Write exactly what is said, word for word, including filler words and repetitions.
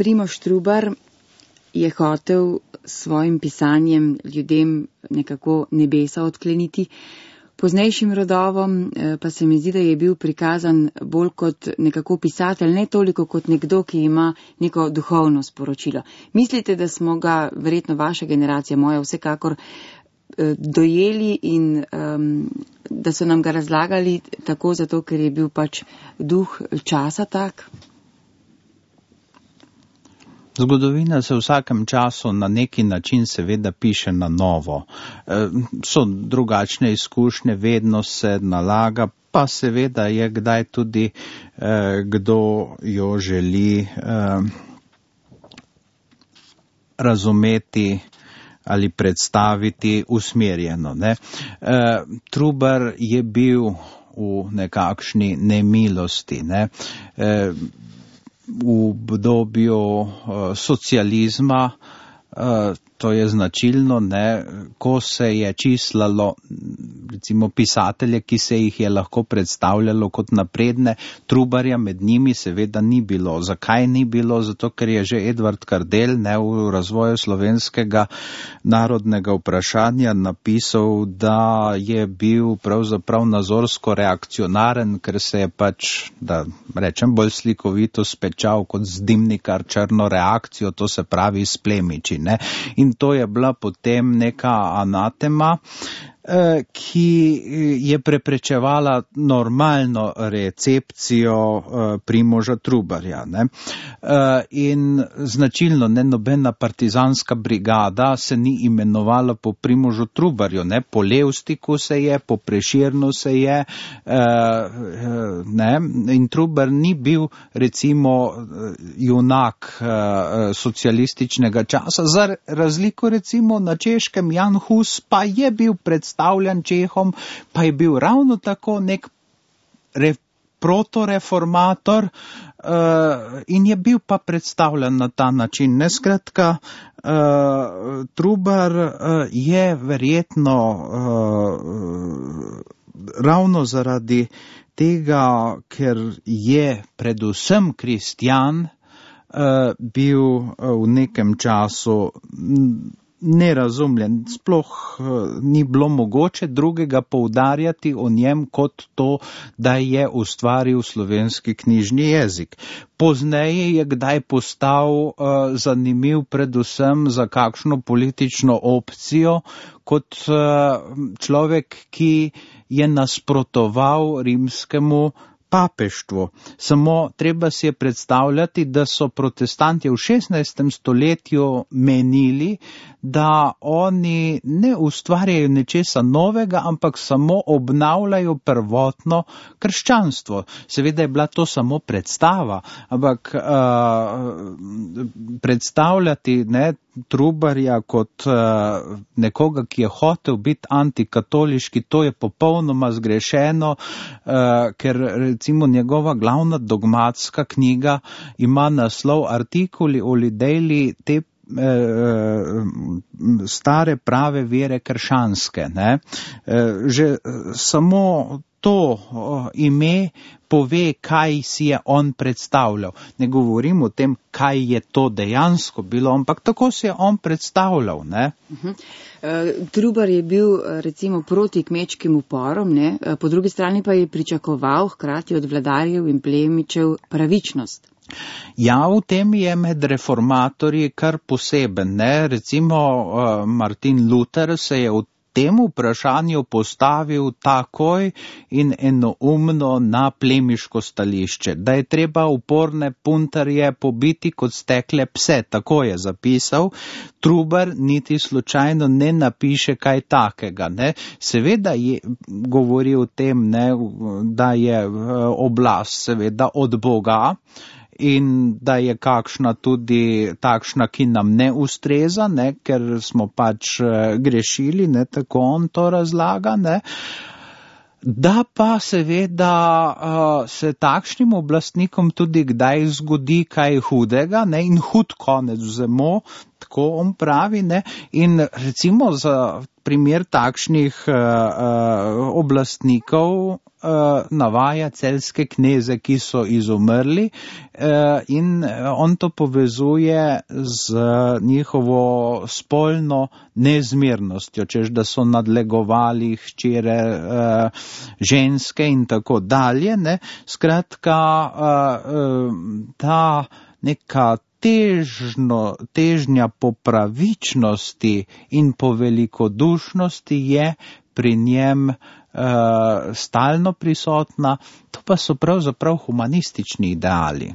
Primož Trubar je hotel s svojim pisanjem ljudem nekako nebesa odkleniti. Poznejšim rodovom pa se mi zdi, da je bil prikazan bolj kot nekako pisatelj, ne toliko kot nekdo, ki ima neko duhovno sporočilo. Mislite, da smo ga, verjetno vaša generacija, moja vsekakor, dojeli in um, da so nam ga razlagali tako zato, ker je bil pač duh časa tak? Zgodovina se v vsakem času na neki način seveda piše na novo. E, so drugačne izkušnje, vedno se nalaga, pa seveda je kdaj tudi e, kdo jo želi e, razumeti ali predstaviti usmerjeno. Ne? E, Trubar je bil v nekakšni nemilosti, ne? E, v obdobju uh, socializma, uh, to je značilno, ne, ko se je čislalo recimo pisatelje, ki se jih je lahko predstavljalo kot napredne, Trubarja med njimi seveda ni bilo. Zakaj ni bilo? Zato, ker je že Edvard Kardelj, ne, v razvoju slovenskega narodnega vprašanja napisal, da je bil pravzaprav nazorsko reakcionaren, ker se je pač, da rečem bolj slikovito, spečal kot zdimnikar črno reakcijo, to se pravi s plemiči, ne. In to je bila potem neka anatema, ki je preprečevala normalno recepcijo Primoža Trubarja. Ne? In značilno, ne, nobena partizanska brigada se ni imenovala po Primožu Trubarju, ne? Po Levstiku se je, po Preširnu se je, ne? In Trubar ni bil recimo junak socialističnega časa, za razliko recimo na Češkem Jan Hus pa je bil predstavljen stavljan Čehom, pa je bil ravno tako nek re, protoreformator uh, in je bil pa predstavljen na ta način. Neskratka, uh, Trubar uh, je verjetno uh, ravno zaradi tega, ker je predvsem kristjan, uh, bil uh, v nekem času nerazumljen, sploh uh, ni bilo mogoče drugega poudarjati o njem kot to, da je ustvaril slovenski knjižni jezik. Pozneje je kdaj postal uh, zanimiv predvsem za kakšno politično opcijo, kot uh, človek, ki je nasprotoval rimskemu papeštvu. Samo treba si je predstavljati, da so protestanti v šestnajstem stoletju menili, da oni ne ustvarjajo nečesa novega, ampak samo obnavljajo prvotno krščanstvo. Seveda je bila to samo predstava, ampak uh, predstavljati, ne, Trubarja kot uh, nekoga, ki je hotel biti antikatoliški, to je popolnoma zgrešeno, uh, ker recimo njegova glavna dogmatska knjiga ima naslov Artikuli o lidejli te stare prave vere krščanske. Ne? Že samo to ime pove, kaj si je on predstavljal. Ne govorim o tem, kaj je to dejansko bilo, ampak tako si je on predstavljal. Ne? Uh-huh. Uh, Trubar je bil recimo proti kmečkim uporom, ne? Po drugi strani pa je pričakoval hkrati od vladarjev in plemičev pravičnost. Ja, v tem je med reformatorji kar poseben, ne, recimo uh, Martin Luther se je v tem vprašanju postavil takoj in enoumno na plemiško stališče, da je treba uporne puntarje pobiti kot stekle pse, tako je zapisal. Trubar niti slučajno ne napiše kaj takega, ne. Seveda je govori o tem, ne, da je oblast seveda od Boga, in da je kakšna tudi takšna, ki nam ne ustreza, ne, ker smo pač grešili, ne, tako on to razlaga, ne. Da pa seveda uh, se takšnim oblastnikom tudi kdaj zgodi kaj hudega, ne, in hud konec vzemo, tako on pravi, ne, in recimo za primer takšnih uh, uh, oblastnikov uh, navaja celjske kneze, ki so izumrli, uh, in on to povezuje z njihovo spolno nezmernostjo, češ da so nadlegovali hčere uh, ženske in tako dalje. Ne? Skratka, uh, uh, ta neka težno, težnja po pravičnosti in po velikodušnosti je pri njem uh, stalno prisotna, to pa so pravzaprav humanistični ideali.